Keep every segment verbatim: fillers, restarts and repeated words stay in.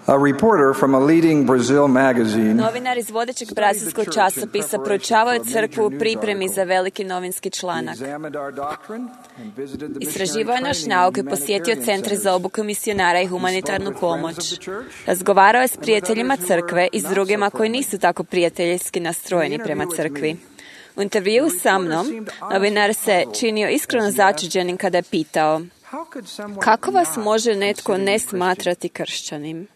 A reporter from a leading Brazil magazine Novinar iz vodećeg brazilskog časopisa proučavao je crkvu u pripremi za veliki novinski članak. Istraživao je naš nauk i posjetio centre za obuku misionara i humanitarnu pomoć. Razgovarao je s prijateljima crkve i s drugima koji nisu tako prijateljski nastrojeni prema crkvi. U intervjuu sa mnom, novinar se činio iskreno začuđenim kada je pitao: kako vas može netko ne smatrati kršćanim?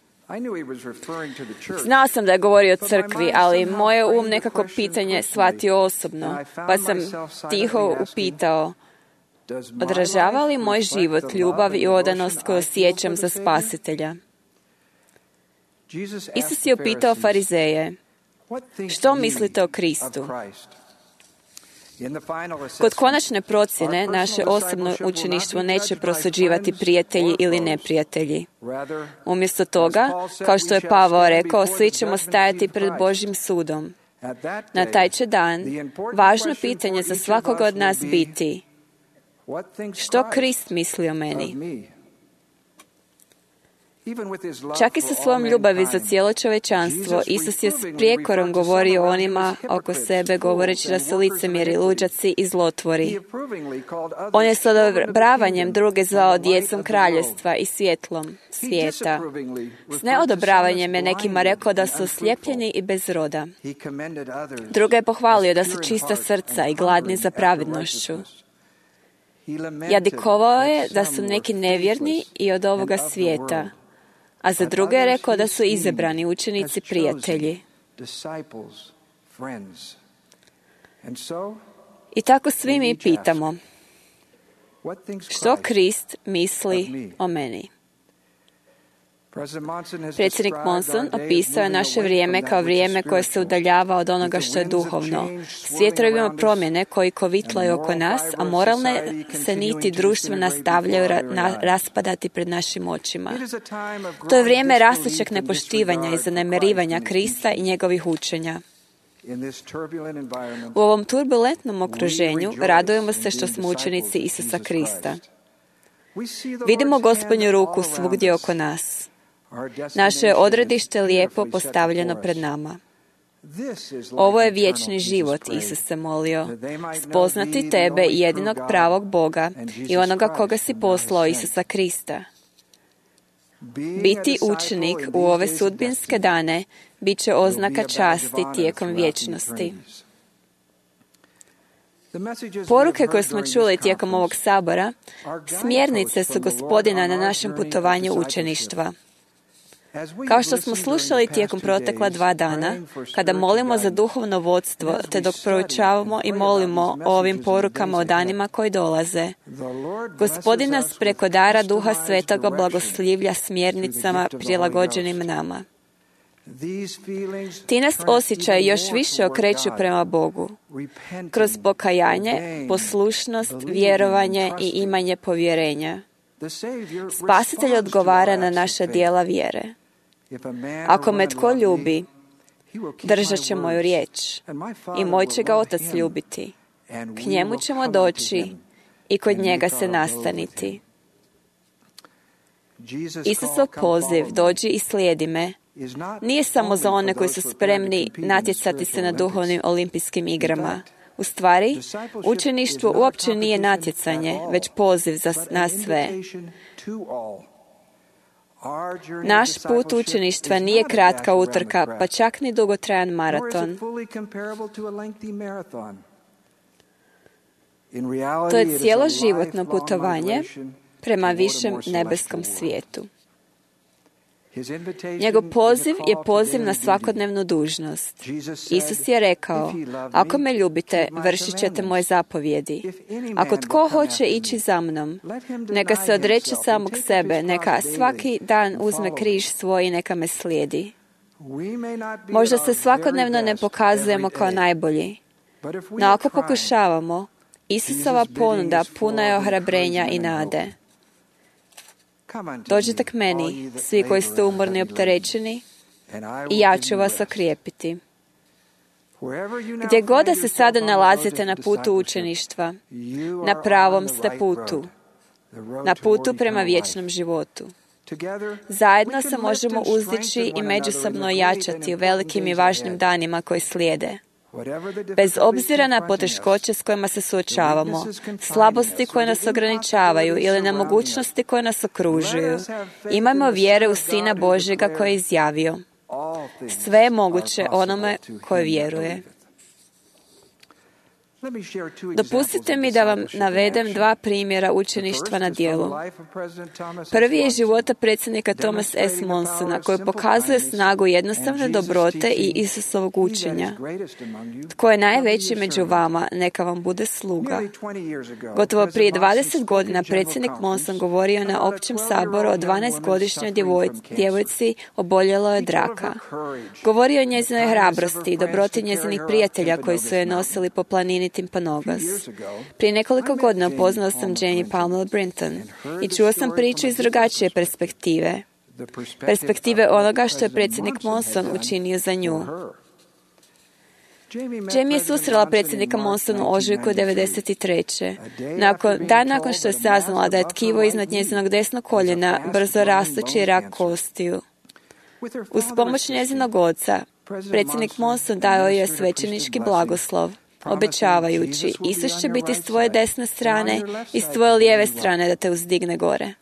Znao sam da je govorio o crkvi, ali moje um nekako pitanje shvatio osobno, pa sam tiho upitao: odražava li moj život ljubav i odanost koju osjećam za Spasitelja? Isus je upitao farizeje: što mislite o Kristu? Kod konačne procjene, naše osobno učeništvo neće prosuđivati prijatelji ili neprijatelji. Umjesto toga, kao što je Pavao rekao, svi ćemo stajati pred Božjim sudom. Na taj će dan važno pitanje za svakoga od nas biti: što Krist misli o meni? Čak i sa svojom ljubavi za cijelo čovječanstvo, Isus je s prijekorom govorio onima oko sebe, govoreći da su licemjeri, luđaci i zlotvori. On je s odobravanjem druge zvao djecom kraljevstva i svjetlom svijeta. S neodobravanjem je nekima rekao da su oslijepljeni i bez roda. Druga je pohvalio da su čista srca i gladni za pravednošću. Jadikovao je da su neki nevjerni i od ovoga svijeta, a za druge je rekao da su izabrani učenici, prijatelji. I tako svi mi pitamo: što Krist misli o meni? Predsjednik Monson opisao je naše vrijeme kao vrijeme koje se udaljava od onoga što je duhovno. Svijet ima promjene koji kovitlaju oko nas, a moralne se niti društva nastavljaju ra- na- raspadati pred našim očima. To je vrijeme rastućeg nepoštivanja i zanemarivanja Krista i njegovih učenja. U ovom turbulentnom okruženju radujemo se što smo učenici Isusa Krista. Vidimo Gospodnju ruku svugdje oko nas. Naše je odredište lijepo postavljeno pred nama. Ovo je vječni život, Isus se molio, spoznati tebe, jedinog pravog Boga i onoga koga si poslao, Isusa Krista. Biti učenik u ove sudbinske dane bit će oznaka časti tijekom vječnosti. Poruke koje smo čuli tijekom ovog sabora, smjernice su Gospodina na našem putovanju učeništva. Kao što smo slušali tijekom protekla dva dana, kada molimo za duhovno vodstvo, te dok proučavamo i molimo o ovim porukama o danima koji dolaze, Gospodin nas preko dara Duha Svetoga blagoslivlja smjernicama prilagođenim nama. Ti nas osjećaj još više okreću prema Bogu, kroz pokajanje, poslušnost, vjerovanje i imanje povjerenja. Spasitelj odgovara na naša djela vjere. Ako me tko ljubi, držat će moju riječ i moj će ga Otac ljubiti. K njemu ćemo doći i kod njega se nastaniti. Isusov poziv, dođi i slijedi me, nije samo za one koji su spremni natjecati se na duhovnim olimpijskim igrama. U stvari, učeništvo uopće nije natjecanje, već poziv za nas sve. Naš put učeništva nije kratka utrka, pa čak ni dugotrajan maraton. To je cjeloživotno putovanje prema višem nebeskom svijetu. Njegov poziv je poziv na svakodnevnu dužnost. Isus je rekao: ako me ljubite, vršit ćete moje zapovjedi. Ako tko hoće ići za mnom, neka se odreče samog sebe, neka svaki dan uzme križ svoj i neka me slijedi. Možda se svakodnevno ne pokazujemo kao najbolji, no ako pokušavamo, Isusova ponuda puna je ohrabrenja i nade. Dođite k meni, svi koji ste umorni i opterećeni, i ja ću vas okrijepiti. Gdje god da se sada nalazite na putu učeništva, na pravom ste putu, na putu prema vječnom životu. Zajedno se možemo uzdići i međusobno jačati u velikim i važnim danima koji slijede. Bez obzira na poteškoće s kojima se suočavamo, slabosti koje nas ograničavaju ili nemogućnosti koje nas okružuju, imajmo vjere u Sina Božjega koji je izjavio: sve je moguće onome koji vjeruje. Dopustite mi da vam navedem dva primjera učeništva na djelu. Prvi je života predsjednika Thomas S. Monsona, koji pokazuje snagu jednostavne dobrote i Isusovog učenja. Tko je najveći među vama, neka vam bude sluga. Gotovo prije dvadeset godina predsjednik Monson govorio je na općem saboru o dvanaestogodišnjoj djevojci oboljeloj od raka. Govorio je o njezinoj hrabrosti i dobroti njezinih prijatelja koji su je nosili po planini Timpanogos. Prije nekoliko godina upoznao sam Jamie Palmer Brinton i čuo sam priču iz drugačije perspektive. Perspektive onoga što je predsjednik Monson učinio za nju. Jamie je susrela predsjednika Monsona u ožujku devedeset treće Nakon, dan nakon što je saznala da je tkivo iznad njezinog desnog koljena brzo rastući rak kostiju. Uz pomoć njezinog oca, predsjednik Monson dao je svećenički blagoslov, obećavajući: Isus će biti s tvoje desne strane i s tvoje lijeve strane da te uzdigne gore.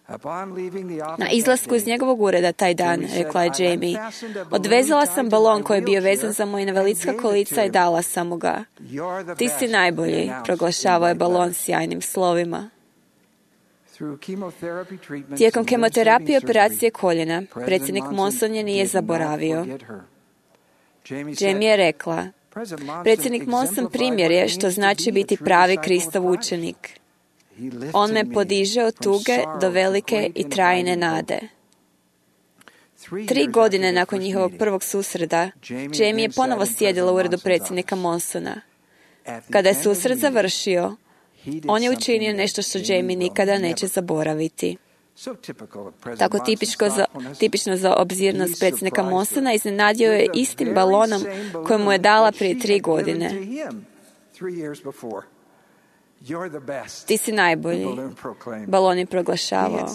Na izlasku iz njegovog ureda taj dan, rekla je Jamie, odvezala sam balon koji je bio vezan za moja invalidska kolica i dala sam mu ga. Ti si najbolji, proglašavao je balon sjajnim slovima. Tijekom kemoterapije i operacije koljena, predsjednik Monson je nije zaboravio. Jamie je rekla: predsjednik Monson primjer je što znači biti pravi Kristov učenik. On me podiže od tuge do velike i trajne nade. Tri godine nakon njihovog prvog susreta, Jamie je ponovo sjedila u uredu predsjednika Monsona. Kada je susret završio, on je učinio nešto što Jamie nikada neće zaboraviti. Tako tipično za, tipično za obzirnost predsjednika Monsona, iznenadio je istim balonom koji mu je dala prije tri godine. Ti si najbolji, balon je proglašavao.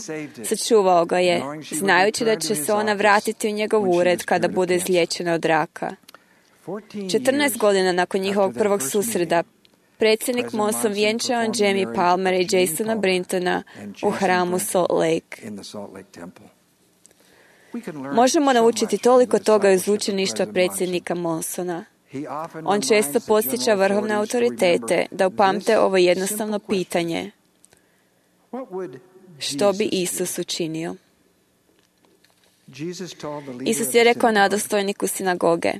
Sačuvao ga je, znajući da će se ona vratiti u njegov ured kada bude izliječena od raka. četrnaest godina nakon njihovog prvog susreta, predsjednik Monson vjenčao je Jamie Palmer i Jasona Brintona u hramu Salt Lake. Možemo naučiti toliko toga iz učeništva predsjednika Monsona. On često podsjeća vrhovne autoritete da upamte ovo jednostavno pitanje: što bi Isus učinio? Isus je rekao nadostojniku sinagoge: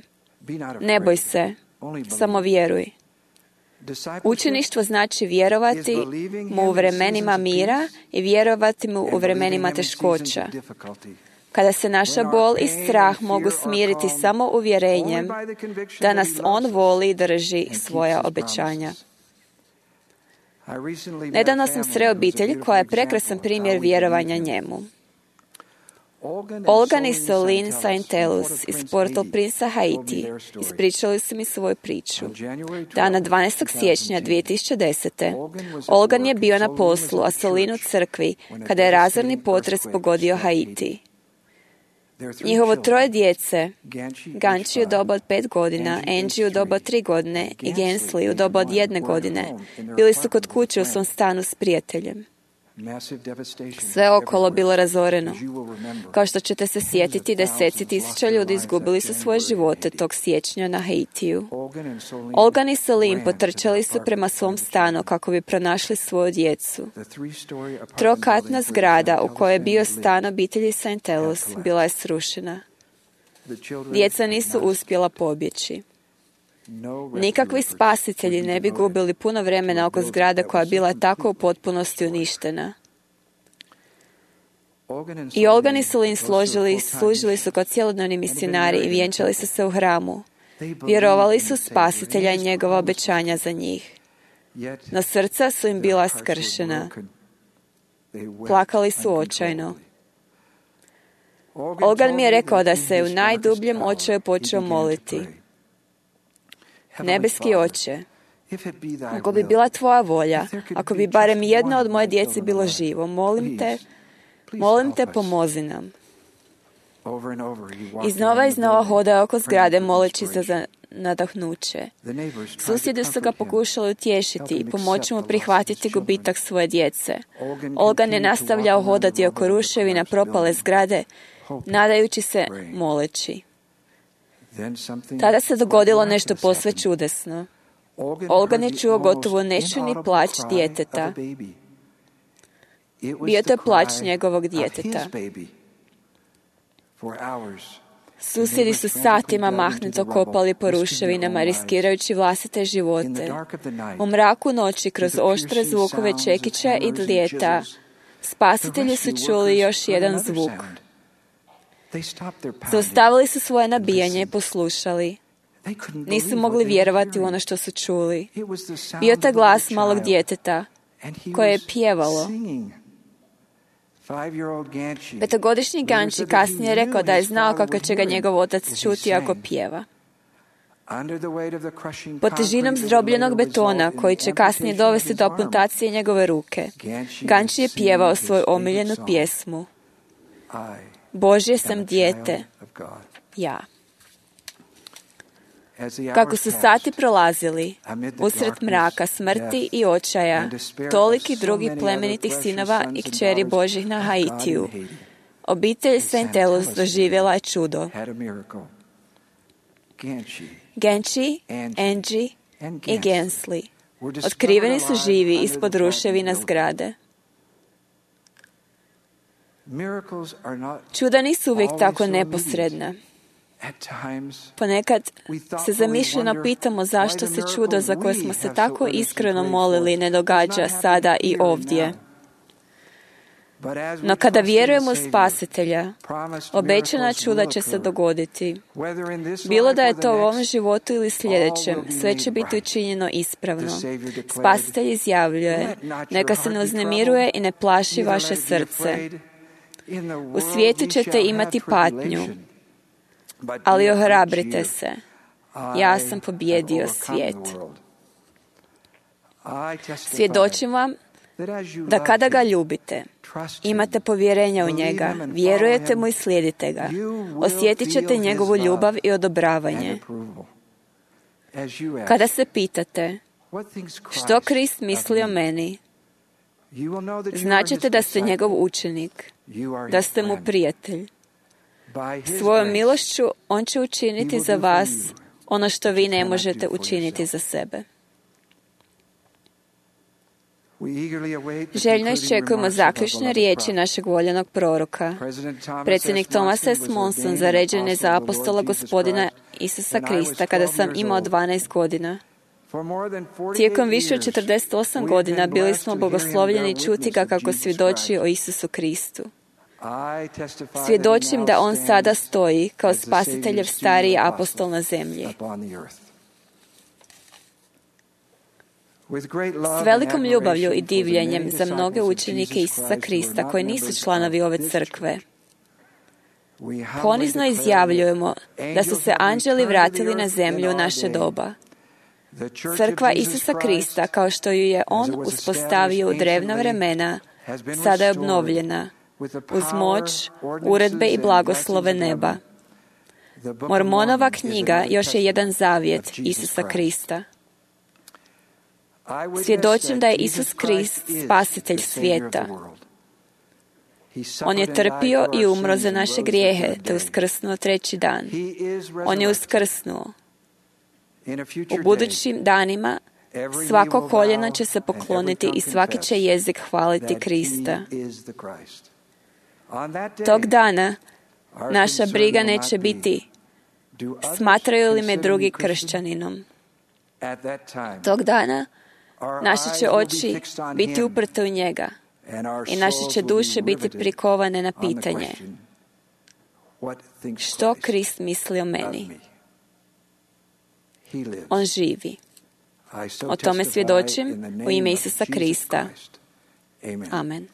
ne boj se, samo vjeruj. Učeništvo znači vjerovati mu u vremenima mira i vjerovati mu u vremenima teškoća. Kada se naša bol i strah mogu smiriti samo uvjerenjem da nas on voli i drži svoja obećanja. Nedavno sam sreo obitelj koja je prekrasan primjer vjerovanja njemu. Olgan i Solin Saintelus iz Port-au-Prince, Haiti, ispričali su mi svoju priču. Dana dvanaestog siječnja dvije tisuće desete. Olgan je bio na poslu, a Solin u crkvi, kada je razorni potres pogodio Haiti. Njihovo troje djece, Ganchi u doba od pet godina, Angie u doba od tri godine i Gensley u doba od jedne godine, bili su kod kuće u svom stanu s prijateljem. Sve okolo bilo razoreno. Kao što ćete se sjetiti, deseci tisuća ljudi izgubili su svoje živote tog siječnja na Haitiju. Olgan i Salim potrčali su prema svom stanu kako bi pronašli svoju djecu. Trokatna zgrada u kojoj je bio stan obitelji Saintelus bila je srušena. Djeca nisu uspjela pobjeći. Nikakvi spasitelji ne bi gubili puno vremena oko zgrade koja je bila tako u potpunosti uništena. I Olgan i Solin složili, služili su kao cjelodnevni misionari i vjenčali su se u hramu. Vjerovali su spasitelja i njegova obećanja za njih. No srca su im bila skršena. Plakali su očajno. Olgan mi je rekao da se u najdubljem očaju počeo moliti: Nebeski Oče, ako bi bila tvoja volja, ako bi barem jedno od moje djece bilo živo, molim te Molim te, pomozi nam. Iznova i iznova hoda oko zgrade moleći se za nadahnuće. Susjedi su ga pokušali utješiti i pomoći mu prihvatiti gubitak svoje djece. Olgan je nastavljao hodati oko ruševina propale zgrade, nadajući se, moleći. Tada se dogodilo nešto posve čudesno. Olgan je čuo gotovo nečujni plać djeteta. Bio to plać njegovog djeteta. Susjedi su satima mahnuto kopali po ruševinama, riskirajući vlastite živote. U mraku noći, kroz oštre zvukove čekića i dlijeta, spasitelji su čuli još jedan zvuk. Zaustavili su svoje nabijanje i poslušali. Nisu mogli vjerovati u ono što su čuli. Bio to glas malog djeteta koje je pjevalo. Petogodišnji Ganči kasnije je rekao da je znao kako će ga njegov otac čuti ako pjeva. Pod težinom zdrobljenog betona, koji će kasnije dovesti do amputacije njegove ruke, Ganči je pjevao svoju omiljenu pjesmu. Božje sam dijete, ja. Kako su sati prolazili, usred mraka, smrti i očaja, toliki drugi plemenitih sinova i kćeri Božjih na Haitiju, obitelj Saint-Elus doživjela je čudo. Ganchi, Angie i Gensley otkriveni su živi ispod ruševina zgrade. Čuda nisu uvijek tako neposredna. Ponekad se zamišljeno pitamo zašto se čudo za koje smo se tako iskreno molili ne događa sada i ovdje. No kada vjerujemo u Spasitelja, obećana čuda će se dogoditi. Bilo da je to u ovom životu ili sljedećem, sve će biti učinjeno ispravno. Spasitelj izjavljuje, neka se ne uznemiruje i ne plaši vaše srce. U svijetu ćete imati patnju, ali ohrabrite se. Ja sam pobijedio svijet. Svjedočim vam da kada ga ljubite, imate povjerenja u njega, vjerujete mu i slijedite ga, osjetit ćete njegovu ljubav i odobravanje. Kada se pitate što Krist misli o meni, značite da ste njegov učenik, da ste mu prijatelj. Svojom milošću on će učiniti za vas ono što vi ne možete učiniti za sebe. Željno iščekujemo zaključne riječi našeg voljenog proroka. Predsjednik Thomas S. Monson zaređen je za apostola Gospodina Isusa Krista kada sam imao dvanaest godina. Tijekom više od četrdeset osam godina bili smo blagoslovljeni čuti ga kako svjedoči o Isusu Kristu. Svjedočim da on sada stoji kao spasiteljev stariji apostol na zemlji. S velikom ljubavlju i divljenjem za mnoge učenike Isusa Krista koji nisu članovi ove crkve, ponizno izjavljujemo da su se anđeli vratili na zemlju u naše doba. Crkva Isusa Krista, kao što ju je on uspostavio u drevna vremena, sada je obnovljena uz moć, uredbe i blagoslove neba. Mormonova knjiga još je jedan zavjet Isusa Krista. Svjedočim da je Isus Krist spasitelj svijeta. On je trpio i umro za naše grijehe, te uskrsnuo treći dan. On je uskrsnuo. U budućim danima svako koljeno će se pokloniti i svaki će jezik hvaliti Krista. Tog dana naša briga neće biti smatraju li me drugi kršćaninom. Tog dana naše će oči biti uprte u njega i naše će duše biti prikovane na pitanje što Krist misli o meni. On živi. O tome svjedočim u ime Isusa Krista. Amen.